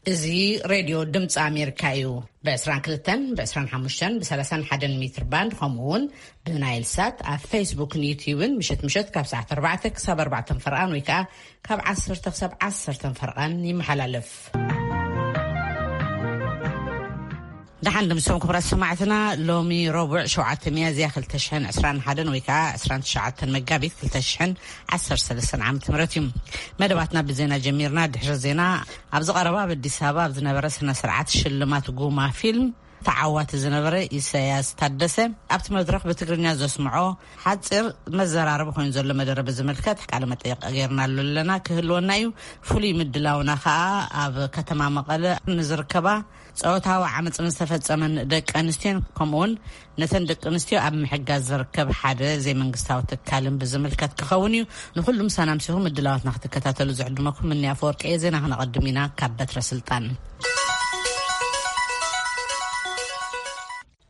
እዚ ሬድዮ ድምፂ ኣሜሪካ እዩ። ብ22፣ ብ25፣ ብ31 ሜትር ባንድ፣ ከምኡ እውን ብናይል ሳት ኣብ ፌስቡክን ዩትዩብን ምሸት ምሸት ካብ ሰዓት ኣርባዕተ ክሳብ ኣርባዕተ ፈርቓን ወይ ከዓ ካብ ዓሰርተ ክሳብ ዓሰርተ ፈርቓን ይመሓላለፍ። ደሓን ድምሶም ክብራት ሰማዕትና፣ ሎሚ ረቡዕ ሸውዓተ ሚያዝያ ክልተ ሽሕን ዕስራን ሓደን ወይ ከዓ ዕስራን ትሽዓተን መጋቢት ክልተ ሽሕን ዓሰርተ ሰለስተን ዓመተ ምህረት እዩ። መደባትና ብዜና ጀሚርና። ድሕሪ ዜና፣ ኣብዚ ቀረባ ኣብ ኣዲስ ኣበባ ኣብ ዝነበረ ስነ ስርዓት ሽልማት ጉማ ፊልም ተዓዋቲ ዝነበረ ኢሳያስ ታደሰ ኣብቲ መድረኽ ብትግርኛ ዘስምዖ ሓፂር መዘራረቢ ኮይኑ ዘሎ መደረ ብዝምልከት ቃለ መጠይቕ ጌርናሉ ኣለና፣ ክህልወና እዩ። ፍሉይ ምድላውና ከዓ ኣብ ከተማ መቐለ ንዝርከባ ጾታዊ ዓመፅ ዝተፈጸመን ደቂ ኣንስትዮን ከምኡውን ነተን ደቂ ኣንስትዮ ኣብ ምሕጋዝ ዝርከብ ሓደ ዘይመንግስታዊ ትካልን ብዝምልከት ክኸውን እዩ። ንኩሉ ምሳና ምሲኹም ምድላዋትና ክትከታተሉ ዝዕድመኩም ምንያ ኣፈወርቂ እየ። ዜና ክነቐድም ኢና ካብ በትረ ስልጣን።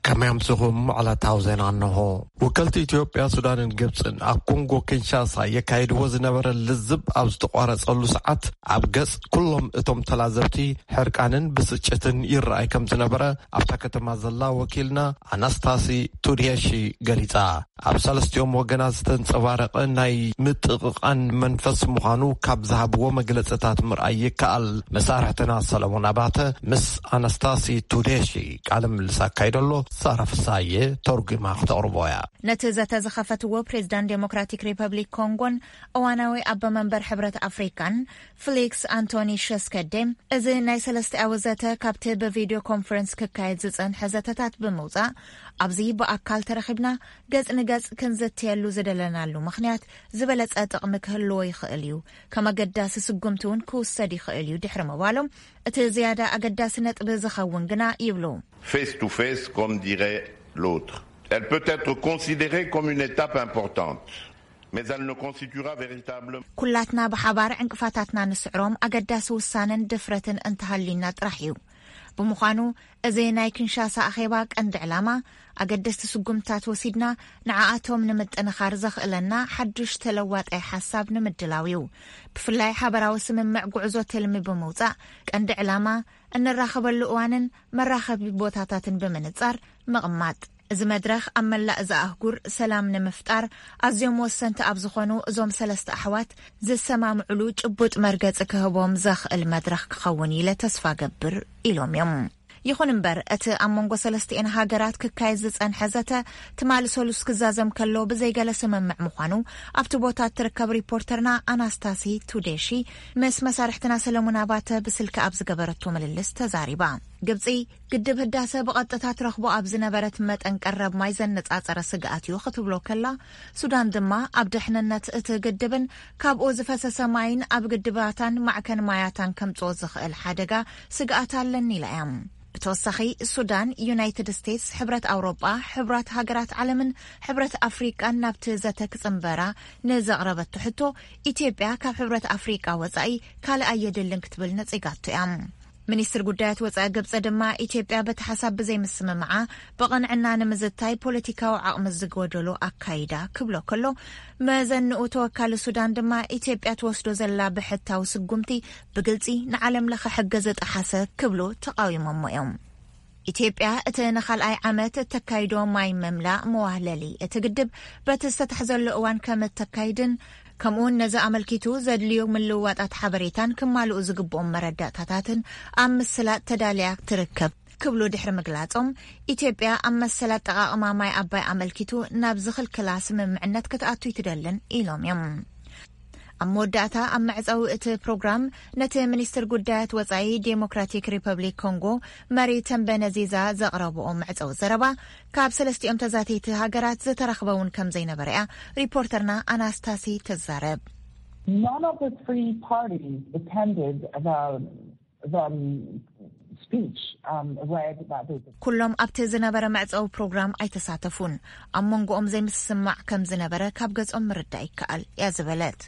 ከመይ ኣምስኹም? ዕለታዊ ዜና እንሆ። ወከልቲ ኢትዮጵያ፣ ሱዳንን ግብፅን ኣብ ኮንጎ ኪንሻሳ የካይድዎ ዝነበረ ልዝብ ኣብ ዝተቋረጸሉ ሰዓት፣ ኣብ ገጽ ኩሎም እቶም ተላዘብቲ ሕርቃንን ብስጭትን ይረኣይ ከም ዝነበረ ኣብታ ከተማ ዘላ ወኪልና ኣናስታሲ ቱድየሺ ገሊጻ። ኣብ ሰለስቲኦም ወገናት ዝተንጸባረቐ ናይ ምጥቕቓን መንፈስ ምዃኑ ካብ ዝሃብዎ መግለጽታት ምርኣይ ይከኣል። መሳርሕትና ሰለሞን ኣባተ ምስ ኣናስታሲ ቱዴሺ ቃለ ምልልስ ኣካይደሎ። ሳራ ፍሳዬ ተርጉማ ክተቕርቦ እያ። ነቲ ዘተ ዝኸፈትዎ ፕሬዝዳንት ዴሞክራቲክ ሪፐብሊክ ኮንጎን እዋናዊ ኣበ መንበር ሕብረት ኣፍሪካን ፍሊክስ ኣንቶኒ ሸስከዴ፣ እዚ ናይ ሰለስቲኣዊ ዘተ ካብቲ ብቪድዮ ኮንፈረንስ ክካየድ ዝጸንሐ ዘተታት ብምውጻእ፣ ኣብዚ ብኣካል ተረኺብና ገጽ ንገጽ ክንዝትየሉ ዝደለናሉ ምኽንያት ዝበለጸ ጥቕሚ ክህልዎ ይኽእል እዩ፣ ከም ኣገዳሲ ስጉምቲ እውን ክውሰድ ይኽእል እዩ ድሕሪ ምባሎም፣ እቲ ዝያዳ ኣገዳሲ ነጥቢ ዝኸውን ግና ይብሉ። Face to face, comme dirait l'autre. Elle peut être considérée comme une étape importante, mais elle ne constituera véritablement ኩላትና ብሓባር ዕንቅፋታትና ንስዕሮም ኣገዳሲ ውሳነን ድፍረትን እንተሃልዩና ጥራሕ እዩ። ብምዃኑ፣ እዚ ናይ ኪንሻሳ ኣኼባ ቀንዲ ዕላማ፣ ኣገደስቲ ስጉምታት ወሲድና ንዓኣቶም ንምጥንኻር ዘኽእለና ሓዱሽ ተለዋጣይ ሓሳብ ንምድላው እዩ። ብፍላይ ሓበራዊ ስምምዕ ጉዕዞ ትልሚ ብምውጻእ፣ ቀንዲ ዕላማ፣ እንራኸበሉ እዋንን መራኸቢ ቦታታትን ብምንጻር ምቕማጥ። እዚ መድረኽ ኣብ መላእ እዛ ኣህጉር ሰላም ንምፍጣር ኣዝዮም ወሰንቲ ኣብ ዝኾኑ እዞም ሰለስተ ኣሕዋት ዝሰማምዕሉ ጭቡጥ መርገጺ ክህቦም ዘኽእል መድረኽ ክኸውን ኢለ ተስፋ ገብር ኢሎም እዮም። ይኹን እምበር፣ እቲ ኣብ መንጎ ሰለስቲኤን ሃገራት ክካየድ ዝጸንሐ ዘተ ትማሊ ሰሉስ ክዛዘም ከሎ ብዘይገለ ስምምዕ ምዃኑ ኣብቲ ቦታ እትርከብ ሪፖርተርና ኣናስታሲ ቱዴሺ ምስ መሳርሕትና ሰለሙን ኣባተ ብስልኪ ኣብ ዝገበረቶ ምልልስ ተዛሪባ። ግብጺ፣ ግድብ ህዳሰ ብቐጥታ ትረኽቦ ኣብ ዝነበረት መጠን ቀረብ ማይ ዘነጻጸረ ስግኣት እዩ ክትብሎ ከላ፣ ሱዳን ድማ ኣብ ድሕንነት እቲ ግድብን ካብኡ ዝፈሰሰ ማይን ኣብ ግድባታን ማዕከን ማያታን ከምጽኦ ዝኽእል ሓደጋ ስግኣት ኣለኒ ኢላ እያ። ብተወሳኺ፣ ሱዳን፣ ዩናይትድ ስቴትስ፣ ሕብረት ኣውሮጳ፣ ሕብራት ሃገራት ዓለምን ሕብረት ኣፍሪቃን ናብቲ ዘተ ክጽንበራ ንዘቕረበቶ ሕቶ፣ ኢትዮጵያ ካብ ሕብረት ኣፍሪቃ ወጻኢ ካልእ ኣየድልን ክትብል ነጺጋቶ እያ። ሚኒስትር ጉዳያት ወጻኢ ግብጺ ድማ፣ ኢትዮጵያ በቲ ሓሳብ ብዘይምስምማዓ ብቕንዕና ንምዝታይ ፖለቲካዊ ዓቕሚ ዝጎደሎ ኣካይዳ ክብሎ ከሎ፣ መዘንኡ ተወካሊ ሱዳን ድማ፣ ኢትዮጵያ ትወስዶ ዘላ ብሕታዊ ስጉምቲ ብግልጺ ንዓለም ለኸ ሕገ ዝጠሓሰ ክብሉ ተቓዊሞሞ እዮም። ኢትዮጵያ እቲ ንኻልኣይ ዓመት እተካይዶ ማይ ምምላእ መዋህለሊ እቲ ግድብ በቲ ዝተታሕዘሉ እዋን ከም እተካይድን፣ ከምኡውን ነዚ ኣመልኪቱ ዘድልዩ ምልውዋጣት ሓበሬታን ክማልኡ ዝግብኦም መረዳእታታትን ኣብ ምስላጥ ተዳልያ ትርከብ ክብሉ ድሕሪ ምግላጾም፣ ኢትዮጵያ ኣብ መሰል ኣጠቓቕማ ማይ ኣባይ ኣመልኪቱ ናብ ዝኽልክላ ስምምዕነት ክትኣቱ ኣይትደልን ኢሎም እዮም። ኣብ መወዳእታ፣ ኣብ መዕጸዊ እቲ ፕሮግራም፣ ነቲ ሚኒስትር ጉዳያት ወጻኢ ዴሞክራቲክ ሪፐብሊክ ኮንጎ መሪ ተምበነዚዛ ዘቕረብኦ መዕጸዊ ዘረባ፣ ካብ ሰለስቲኦም ተዛተይቲ ሃገራት ዝተረኽበ እውን ከም ዘይነበረ እያ ሪፖርተርና ኣናስታሲ ትዛረብ። None of the three parties attended the, the speech, um, read by the ኩሎም ኣብቲ ዝነበረ መዕጸዊ ፕሮግራም ኣይተሳተፉን። ኣብ መንጎኦም ዘይምስማዕ ከም ዝነበረ ካብ ገጾም ምርዳእ ይከኣል እያ ዝበለት።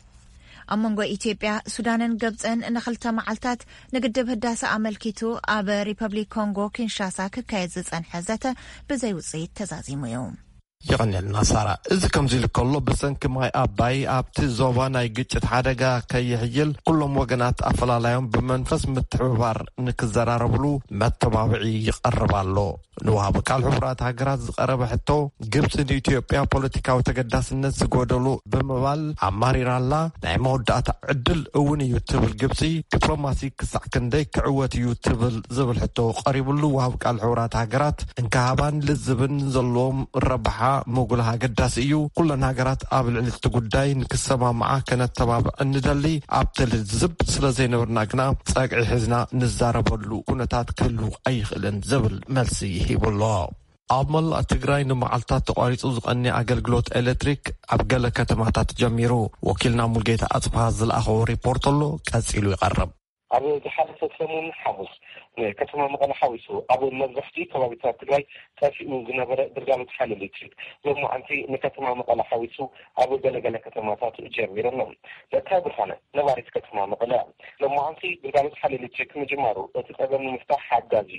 ኣብ መንጎ ኢትዮጵያ፣ ሱዳንን ግብጽን ንኽልተ መዓልታት ንግድብ ህዳሰ ኣመልኪቱ ኣብ ሪፐብሊክ ኮንጎ ኪንሻሳ ክካየድ ዝጸንሐ ዘተ ብዘይ ውጽኢት ተዛዚሙ እዩ። የቐንየልና ሳራ። እዚ ከምዚ ኢሉ ከሎ፣ ብሰንኪ ማይ ኣባይ ኣብቲ ዞባ ናይ ግጭት ሓደጋ ከይሕይል ኩሎም ወገናት ኣፈላላዮም ብመንፈስ ምትሕብባር ንክዘራረብሉ መተባብዒ ይቐርብ ኣሎ። ንወሃቢ ቃል ሕቡራት ሃገራት ዝቐረበ ሕቶ፣ ግብጺ ንኢትዮጵያ ፖለቲካዊ ተገዳስነት ዝጎደሉ ብምባል ኣማሪራላ። ናይ መወዳእታ ዕድል እውን እዩ ትብል ግብጺ፣ ዲፕሎማሲ ክሳዕ ክንደይ ክዕወት እዩ ትብል ዝብል ሕቶ ቀሪብሉ፣ ወሃቢ ቃል ሕቡራት ሃገራት እንካሃባን ልዝብን ዘለዎም ረብሓ ምጉላህ ኣገዳሲ እዩ። ኩለን ሃገራት ኣብ ልዕሊ እቲ ጉዳይ ንክሰማምዓ ከነተባብዕ እንደሊ። ኣብቲ ልዝብ ስለ ዘይነበርና ግና ጸግዒ ሒዝና ንዛረበሉ ኩነታት ክህሉ ኣይኽእልን ዝብል መልሲ ሂቡ ኣሎ። ኣብ መላእ ትግራይ ንመዓልታት ተቋሪጹ ዝቐኒ ኣገልግሎት ኤሌክትሪክ ኣብ ገለ ከተማታት ጀሚሩ። ወኪልና ሙልጌታ ኣጽብሃ ዝለኣኸዎ ሪፖርት ኣሎ፣ ቀጺሉ ይቐርብ። ኣብ ዝሓለፈ ሰሙን ሓሙስ ንከተማ መቐለ ሓዊሱ ኣብ መብዛሕትኡ ከባቢታት ትግራይ ጠፊኡ ዝነበረ ግልጋሎት ሓይሊ ኤሌክትሪክ ሎማዓንቲ ንከተማ መቐለ ሓዊሱ ኣብ ገለገለ ከተማታት ጀሚሩ ኣሎ። ለካ ብርሃነ ነባሪት ከተማ መቐለ ሎማዓንቲ ግልጋሎት ሓይሊ ኤሌክትሪክ ምጅማሩ እቲ ጸገም ንምፍታሕ ሓጋዚ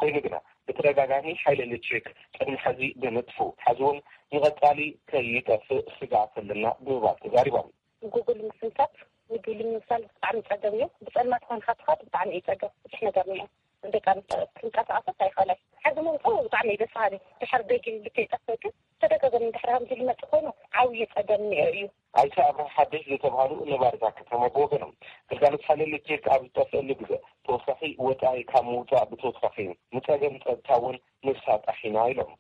ኮይኑ ግና ብተደጋጋሚ ሓይሊ ኤሌክትሪክ ቅድሚ ሕዚ ብምጥፉ፣ ሕዚ እውን ንቐጻሊ ከይጠፍእ ስግኣት ኣለና ብምባል ተዛሪቦም። ጉግል ምስንካት፣ ጉግል ንምምሳል ብጣዕሚ ጸገም እዩ። ብጸልማት ኮንካ ትኸድ ብጣዕሚ እዩ ጸገም። ብዙሕ ነገር እኒኦ። ደቂ ኣንስትዮ ክንቀሳቐሰት ኣይኽእላይ። ሕዚ ምምፅኡ ብጣዕሚ እዩ ደስ በሃሊ። ድሕሪ ደጊም ልክዕ ይጠፍእ ግን ተደጋጋሚ ድሕሪ ከምዚ ዝመፅእ ኮይኑ ዓብዪ ጸገም እኒኦ እዩ። ኣይተ ኣብርሃ ሓድሽ ዝተባህሉ ነባሪ እታ ከተማ ብወገኖም፣ ግልጋሎት ሓይሊ ኤሌክትሪክ ኣብ ዝጠፍአሉ ግዜ ተወሳኺ ወፃኢ ካብ ምውፃእ ብተወሳኺ ንፀገም ፀጥታ እውን ንሳጣሕ ኢና ኢሎም።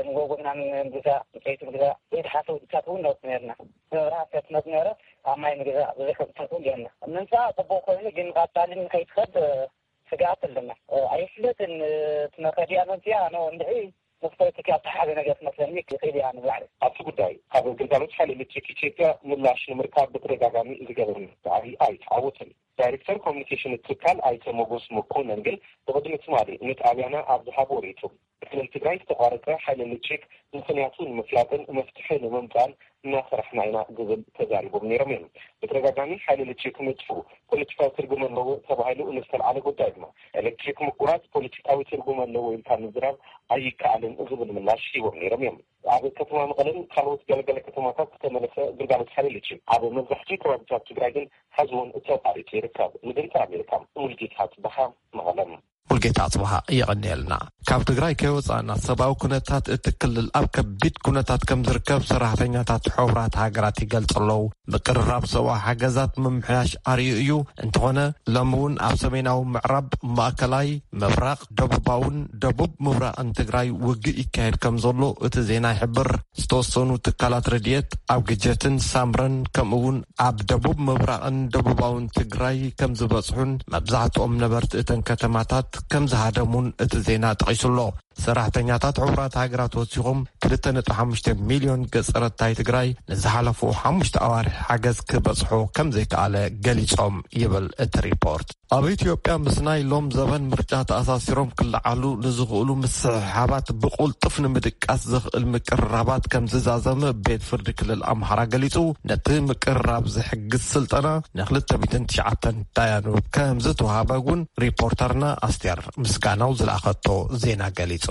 ንጎጎና ምግዛ፣ ዕንጨይቲ ምግዛ፣ ዘይተሓሰቡ ድቻት እውን ነውፅ ነርና። መብራህቲ ከትመፅ ነረ፣ ኣብ ማይ ምግዛ ብዙሕ ውፅኢት እውን የና። ምምፃእ ፅቡቅ ኮይኑ ግን ቀፃሊ ንከይትኸድ ስግኣት ኣለና። ኣይፍለጥን፣ እቲ መኸዲያ መምፅያ ነው እንድዒ ምስ ፖለቲካ ዝተሓሓዘ ነገር ትመስለኒ ይኽእል እያ ንባዕለይ። ኣብቲ ጉዳይ ካብ ግልጋሎት ሓይሊ ኤሌክትሪክ ኢትዮጵያ ምላሽ ንምርካብ ብተደጋጋሚ ዝገበርናዮ ጻዕሪ ኣይተዓወተን። ዳይሬክተር ኮሚኒኬሽን እቲ ትካል ኣይተ ሞጎስ መኮነን ግን ብቕድሚ ትማሊ ንጣብያና ኣብ ዝሃብዎ ርእይቶ፣ ብክልል ትግራይ ዝተቋረጸ ሓይሊ ኤሌክትሪክ ምኽንያቱ ንምፍላጥን መፍትሒ ንምምጻእን እናሰራሕና ኢና ዝብል ተዛሪቦም ነይሮም እዮም። ብተደጋጋሚ ሓይሊ ኤሌክትሪክ ምጥፍኡ ፖለቲካዊ ትርጉም ኣለዎ ተባሂሉ ንዝተልዓለ ጉዳይ ድማ፣ ኤሌክትሪክ ምቁራጽ ፖለቲካዊ ትርጉም ኣለዎ ኢልካ ምዝራብ ኣይከኣልን ዝብል ምላሽ ሂቦም ነይሮም እዮም። ኣብ ከተማ መቐለን ካልኦት ገለገለ ከተማታት ዝተመለሰ ግልጋሎት ሓይሊ ኤሌክትሪክ ኣብ መብዛሕትኡ ከባቢታት ትግራይ ግን ሕዚ እውን ተቋሪጹ ይርከብ። ንድምፂ ኣሜሪካ ሙልጌታ ጽበሓ፣ መቐለም። ሙልጌታ ጽበሓ፣ የቐንየልና። ካብ ትግራይ ከይወጻእና ሰብኣዊ ኩነታት እቲ ክልል ኣብ ከቢድ ኩነታት ከም ዝርከብ ሰራሕተኛታት ሕቡራት ሃገራት ይገልጹ ኣለዉ። ምቅርራብ ሰብኣዊ ሓገዛት ምምሕያሽ ኣርእዩ እዩ። እንተኾነ ሎሚ እውን ኣብ ሰሜናዊ ምዕራብ፣ ማእከላይ፣ ምብራቕ፣ ደቡባውን ደቡብ ምብራቕን ትግራይ ውግእ ይካየድ ከም ዘሎ እቲ ዜና ይሕብር። ዝተወሰኑ ትካላት ረድኤት ኣብ ግጀትን ሳምረን ከምኡ እውን ኣብ ደቡብ ምብራቕን ደቡባውን ትግራይ ከም ዝበጽሑን መብዛሕትኦም ነበርቲ እተን ከተማታት ከም ዝሃደሙን እቲ ዜና ጠቒሱ ኣሎ። ሰራሕተኛታት ሕቡራት ሃገራት ወሲኾም ክልተ ነጥቢ ሓሙሽተ ሚልዮን ገጸረታይ ትግራይ ንዝሓለፉ ሓሙሽተ ኣዋርሕ ሓገዝ ክበጽሖ ከም ዘይከኣለ ገሊጾም ይብል እቲ ሪፖርት። ኣብ ኢትዮጵያ ምስ ናይ ሎም ዘበን ምርጫ ተኣሳሲሮም ክለዓሉ ንዝኽእሉ ምስሕሓባት ብቑልጡፍ ንምድቃስ ዘኽእል ምቅርራባት ከም ዝዛዘመ ቤት ፍርዲ ክልል ኣምሓራ ገሊጹ። ነቲ ምቅርራብ ዝሕግዝ ስልጠና ንክልተ ሚእትን ትሽዓተን ዳያኑ ከም ዝተዋሃበ እውን ሪፖርተርና ኣስቴር ምስጋናው ዝለኣኸቶ ዜና ገሊጹ።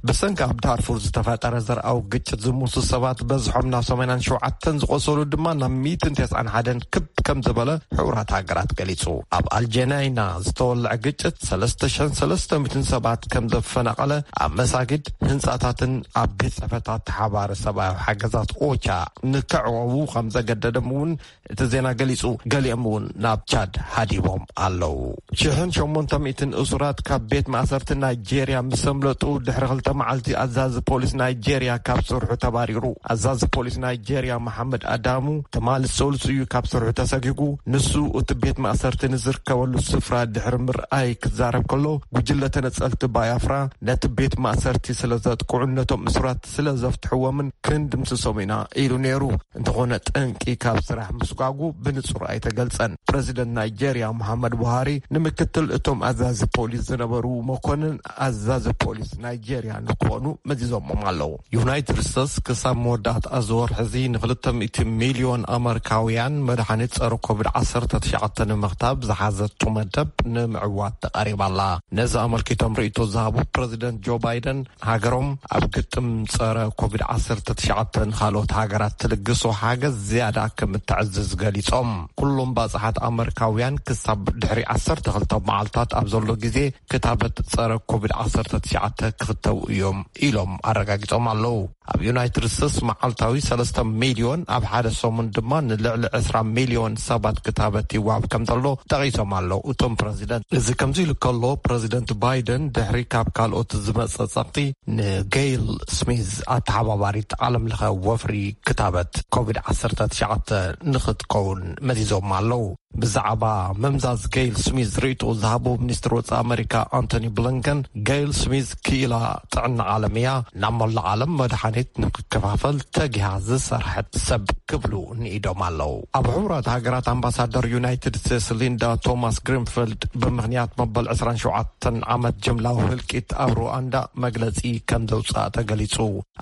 ብሰንኪ ኣብ ዳርፉር ዝተፈጠረ ዘርኣዊ ግጭት ዝሞቱ ሰባት በዝሖም ናብ ሰማንያን ሸውዓተን፣ ዝቆሰሉ ድማ ናብ ሚእትን ተስዓን ሓደን ክብ ከም ዝበለ ሕቡራት ሃገራት ገሊጹ። ኣብ ኣልጀናይና ዝተወልዐ ግጭት ሰለስተ ሽሕን ሰለስተ ሚእትን ሰባት ከም ዘፈናቐለ፣ ኣብ መሳጊድ፣ ህንጻታትን ኣብ ቤት ጽሕፈታት ሓባሪ ሰብኣዊ ሓገዛት ኦቻ ንከዕወዉ ከም ዘገደደም እውን እቲ ዜና ገሊጹ። ገሊኦም እውን ናብ ቻድ ሃዲቦም ኣለዉ። ሽሕን ሸሞንተ ሚእትን እሱራት ካብ ቤት ማእሰርቲ ናይጄርያ ምስ ኣምለጡ ድሕሪ ክልተ መዓልቲ ኣዛዚ ፖሊስ ናይጄርያ ካብ ስርሑ ተባሪሩ። ኣዛዚ ፖሊስ ናይጄርያ መሓመድ ኣዳሙ ትማሊ ሰሉስ እዩ ካብ ስርሑ ተሰጊጉ። ንሱ እቲ ቤት ማእሰርቲ ንዝርከበሉ ስፍራ ድሕሪ ምርኣይ ክዛረብ ከሎ፣ ጉጅለ ተነጸልቲ ባያፍራ ነቲ ቤት ማእሰርቲ ስለ ዘጥቅዑን ነቶም እሱራት ስለ ዘፍትሕዎምን ክንድምስሶም ኢና ኢሉ ነይሩ። እንተኾነ ጠንቂ ካብ ስራሕ ምስጓጉ ብንጹር ኣይተገልጸን። ፕረዚደንት ናይጄርያ መሓመድ ቡሃሪ ንምክትል እቶም ኣዛዚ ፖሊስ ዝነበሩ መኮንን ኣዛዚ ፖሊስ ናይጄርያ ንክኾኑ መዚዞሞም ኣለዉ። ዩናይትድ ስቴትስ ክሳብ መወዳእታ እዚ ወርሒ እዚ ንክልተ ሚእቲ ሚልዮን ኣመሪካውያን መድሓኒት ጸረ ኮቪድ ዓሰርተ ትሽዓተ ንምኽታብ ዝሓዘቶ መደብ ንምዕዋት ተቓሪባ ኣላ። ነዚ ኣመልኪቶም ርእይቶ ዝሃቡ ፕረዚደንት ጆ ባይደን፣ ሃገሮም ኣብ ግጥም ጸረ ኮቪድ ዓሰርተ ትሽዓተ ንኻልኦት ሃገራት ትልግሶ ሓገዝ ዝያዳ ከም እተዕዝዝ ገሊጾም። ኩሎም ባጽሓት ኣመሪካውያን ክሳብ ድሕሪ ዓሰርተ ክልተ መዓልታት ኣብ ዘሎ ግዜ ክታበት ጸረ ኮቪድ ዓሰርተ ትሽዓተ ክኽተቡ እዮም ኢሎም ኣረጋጊጾም ኣለዉ። ኣብ ዩናይትድ ስቴትስ መዓልታዊ ሰለስተ ሚልዮን፣ ኣብ ሓደ ሰሙን ድማ ንልዕሊ ዕስራ ሚልዮን ሰባት ክታበት ይወሃብ ከም ዘሎ ጠቒሶም ኣለዉ እቶም ፕረዚደንት። እዚ ከምዚ ኢሉ ከሎ፣ ፕረዚደንት ባይደን ድሕሪ ካብ ካልኦት ዝመጸ ጸቕጢ ንጌይል ስሚዝ፣ ኣተሓባባሪት ዓለምለኸ ወፍሪ ክታበት ኮቪድ ዓሰርተ ትሽዓተ ንኽትከውን መዚዞም ኣለዉ። ብዛዕባ ምምዛዝ ጌይል ስሚዝ ርእይቶ ዝሃቡ ሚኒስትር ወጻኢ ኣመሪካ ኣንቶኒ ብሊንከን፣ ጌይል ስሚዝ ክኢላ ጥዕና ዓለም እያ፣ ናብ መላእ ዓለም መድሓኒት ንክከፋፈል ተጊሃ ዝሰርሐት ሰብ ክብሉ ንኢዶም ኣለዉ። ኣብ ሕቡራት ሃገራት ኣምባሳደር ዩናይትድ ስቴትስ ሊንዳ ቶማስ ግሪንፊልድ ብምኽንያት መበል ዕስራን ሸውዓተን ዓመት ጅምላዊ ህልቂት ኣብ ሩዋንዳ መግለጺ ከም ዘውጽኣ ተገሊጹ።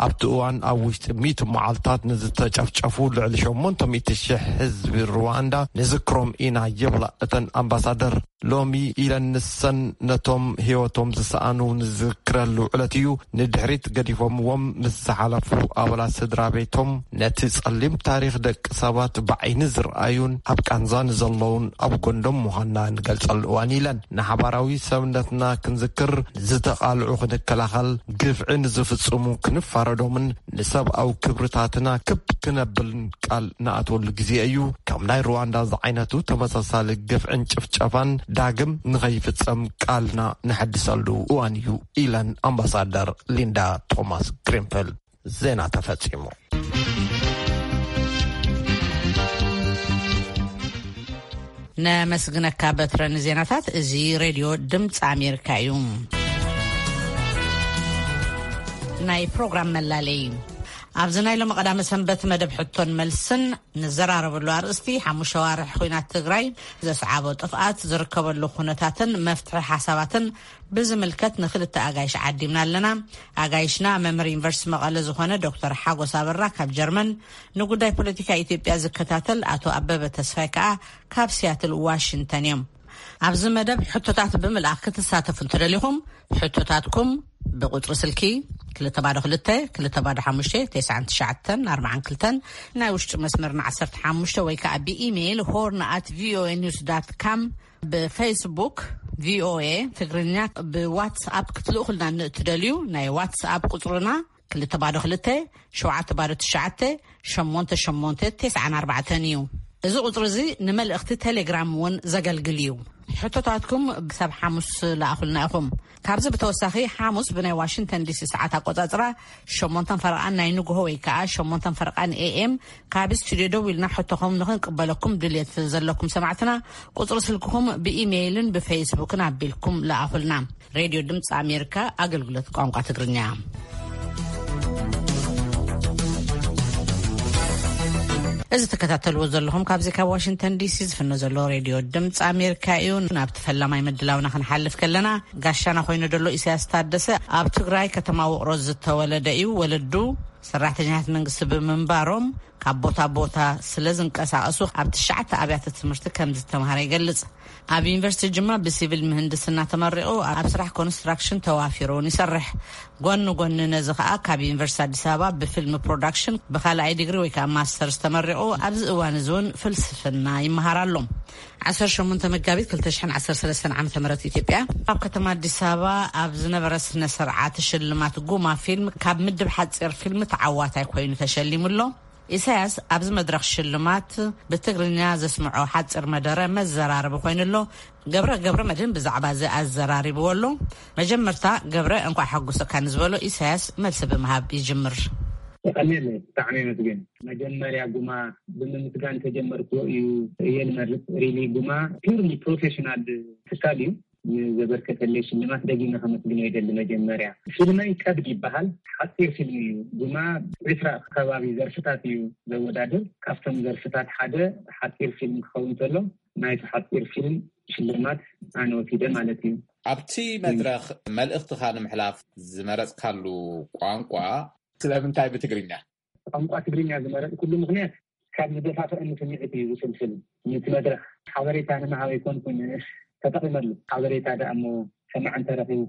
ኣብቲ እዋን ኣብ ውሽጢ ሚእቲ መዓልታት ንዝተጨፍጨፉ ልዕሊ ሸሞንተ ሚእቲ ሽሕ ህዝቢ ሩዋንዳ ንዝክሮም ኢና ይብላ እተን ኣምባሳደር። ሎሚ ኢለን ንሰን ነቶም ህይወቶም ዝሰኣኑ ንዝክረሉ ዕለት እዩ። ንድሕሪት ገዲፎምዎም ምስ ዝሓለፉ ኣባላት ስድራ ቤቶም ነቲ ጸሊም ታሪኽ ደቂ ሰባት ብዓይኒ ዝረኣዩን ኣብ ቃንዛ ንዘለዉን ኣብ ጎንዶም ምዃንና ንገልጸሉ እዋን ኢለን። ንሓባራዊ ሰብነትና ክንዝክር፣ ዝተቓልዑ ክንከላኸል፣ ግፍዒ ንዝፍጽሙ ክንፋረዶምን ንሰብኣዊ ክብርታትና ክብ ክነብልን ቃል ንኣትወሉ ግዜ እዩ። ከም ናይ ሩዋንዳ ዝዓይነቱ ተመሳሳሊ ግፍዕን ጭፍጨፋን ዳግም ንኸይፍጸም ቃልና ንሐድሰሉ እዋን እዩ ኢለን ኣምባሳደር ሊንዳ ቶማስ ግሪንፊልድ። ዜና ተፈጺሙ። ነመስግነካ በትረ ንዜናታት። እዚ ሬድዮ ድምፂ ኣሜሪካ እዩ። ናይ ፕሮግራም መላለይ። ኣብዚ ናይ ሎሚ ቀዳመ ሰንበት መደብ ሕቶን መልስን ንዘራረበሉ ኣርእስቲ ሓሙሽተ ዋርሕ ኹናት ትግራይ ዘስዓቦ ጥፍኣት ዝርከበሉ ኩነታትን መፍትሒ ሓሳባትን ብዝምልከት ንክልተ ኣጋይሽ ዓዲምና ኣለና። ኣጋይሽና መምህር ዩኒቨርሲቲ መቐለ ዝኾነ ዶክተር ሓጎስ ኣበራ ካብ ጀርመን፣ ንጉዳይ ፖለቲካ ኢትዮጵያ ዝከታተል ኣቶ ኣበበ ተስፋይ ከኣ ካብ ሲያትል ዋሽንግተን እዮም። ኣብዚ መደብ ሕቶታት ብምልኣኽ ክትሳተፉ እንተደሊኹም፣ ሕቶታትኩም ብቁጽሪ ስልኪ ክልተ ባዶ ክልተ፣ ክልተ ባዶ ሓሙሽተ፣ ተስዓን ትሽዓተን ኣርባዓን ክልተን፣ ናይ ውሽጢ መስመርና ዓሰርተ ሓሙሽተ ወይ ከኣ ብኢሜይል ሆርን ኣት ቪኦኤ ኒውስ ዳት ካም፣ ብፌስቡክ ቪኦኤ ትግርኛ፣ ብዋትስኣፕ ክትልእኹልና ንእትደልዩ ናይ ዋትስኣፕ ቁጽርና ክልተ ባዶ ክልተ፣ ሸውዓተ ባዶ ትሽዓተ፣ ሸሞንተ ሸሞንተ፣ ተስዓን ኣርባዕተን እዩ። እዚ ቁጽሪ እዚ ንመልእኽቲ ቴሌግራም እውን ዘገልግል እዩ። ሕቶታትኩም ክሳብ ሓሙስ ለኣኹልና ኢኹም። ካብዚ ብተወሳኺ ሓሙስ ብናይ ዋሽንግተን ዲሲ ሰዓት ኣቆጻጽራ ሸሞንተን ፈረቓን ናይ ንግሆ ወይ ከኣ ሸሞንተን ፈረቓን ኤኤም ካብ ስቱድዮ ደው ኢልና ሕቶኹም ንኽንቅበለኩም ድልየት ዘለኩም ሰማዕትና ቁጽሪ ስልክኹም ብኢሜይልን ብፌስቡክን ኣቢልኩም ለኣኹልና። ሬድዮ ድምፂ ኣሜሪካ ኣገልግሎት ቋንቋ ትግርኛ። እዚ ትከታተልዎ ዘለኹም ካብዚ ካብ ዋሽንግተን ዲሲ ዝፍኖ ዘሎ ሬድዮ ድምፂ ኣሜሪካ እዩ። ናብቲ ፈላማይ ምድላውና ክንሓልፍ ከለና፣ ጋሻና ኮይኑ ዘሎ ኢሳያስ ታደሰ ኣብ ትግራይ ከተማ ውቕሮ ዝተወለደ እዩ። ወለዱ ሰራሕተኛታት መንግስቲ ብምንባሮም ካብ ቦታ ቦታ ስለ ዝንቀሳቐሱ ኣብ ትሽዓተ ኣብያተ ትምህርቲ ከም ዝተምሃረ ይገልጽ። ኣብ ዩኒቨርሲቲ ጅማ ብሲቪል ምህንድስና ተመሪቑ ኣብ ስራሕ ኮንስትራክሽን ተዋፊሩ እውን ይሰርሕ። ጎኒ ጎኒ ነዚ ከኣ ካብ ዩኒቨርሲቲ ኣዲስ ኣበባ ብፊልም ፕሮዳክሽን ብኻልኣይ ዲግሪ ወይ ከኣ ማስተርስ ተመሪቑ ኣብዚ እዋን እዚ እውን ፍልስፍና ይመሃር ኣሎ። ዓሰርተ ሸሞንተ መጋቢት ክልተ ሽሕን ዓሰርተ ሰለስተን ዓመተ ምህረት ኢትዮጵያ ኣብ ከተማ ኣዲስ ኣበባ ኣብ ዝነበረ ስነ ስርዓት ሽልማት ጉማ ፊልም ካብ ምድብ ሓጺር ፊልም ተዓዋታይ ኮይኑ ተሸሊሙ ኣሎ። ኢሳያስ ኣብዚ መድረኽ ሽልማት ብትግርኛ ዘስምዖ ሓጺር መደረ መዘራረቢ ኮይኑ ኣሎ። ገብረ ገብረ መድህን ብዛዕባ እዚ ኣዘራሪብዎ ኣሎ። መጀመርታ ገብረ እንኳዕ ሓጎሰካ ንዝበሎ ኢሳያስ መልሲ ብምሃብ ይጅምር። የቐኔለይ፣ ብጣዕሚ የመስግን። መጀመርያ ጉማ ብምምስጋን ተጀመርክዎ እዩ እየ ልመርጽ። ሪሊ ጉማ ፒርሊ ፕሮፌሽናል ትካል እዩ። ንዘበርከተለይ ሽልማት ደጊመ ከመስግኖ ይደሊ። መጀመርያ ፊልመይ ቀብድ ይበሃል። ሓጺር ፊልም እዩ። ጉማ ዕስራ ከባቢ ዘርፍታት እዩ ዘወዳድር። ካብቶም ዘርፍታት ሓደ ሓጺር ፊልም ክኸውን ከሎ ናይቲ ሓጺር ፊልም ሽልማት ኣነ ወሲደ ማለት እዩ። ኣብቲ መድረኽ መልእኽትኻ ንምሕላፍ ዝመረጽካሉ ቋንቋ ስለምንታይ ብትግርኛ? ቋንቋ ትግርኛ ዝመረጽኩሉ ምኽንያት ካብ ዝደፋፍአኒ ስምዒት እዩ ዝፍልፍል። ነቲ መድረኽ ሓበሬታ ንምሃብ ኣይኮንኩን ተጠቒመሉ። ሓበሬታ ደኣ እሞ ሰማዕ እንተረኺቡ፣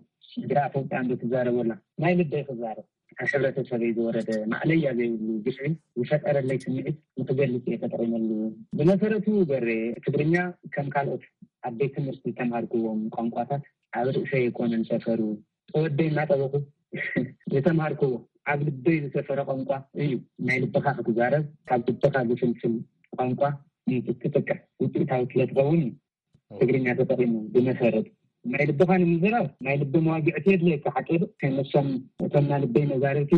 ግራ ፈውጣ እንዶ ትዛረበላ ናይ ልበይ ክዛረብ፣ ኣብ ሕብረተሰበይ ዝወረደ ማእለያ ዘይብሉ ግፍዒ ዝፈጠረለይ ስምዒት ንክገልጽ እየ ተጠቒመሉ። ብመሰረቱ በሬ፣ ትግርኛ ከም ካልኦት ኣብ ቤት ትምህርቲ ዝተምሃርክዎም ቋንቋታት ኣብ ርእሰይ ኣይኮነን ሰፈሩ። ተወደይ እናጠበኹ ዝተምሃርክዎ ኣብ ልበይ ዝሰፈረ ቋንቋ እዩ። ናይ ልብኻ ክትዛረብ፣ ካብ ልብኻ ዝፍልፍል ቋንቋ እንትትጥቀም ውፅኢታዊ ስለ ትኸውን እዩ ትግርኛ ተጠቒሙ። ብመሰረቱ ናይ ልብኻ ንምዝራብ ናይ ልቢ መዋግዕቲ የድለየካ። ሓቂ ዶ? ከመሰም እቶም ናይ ልበይ መዛርብቲ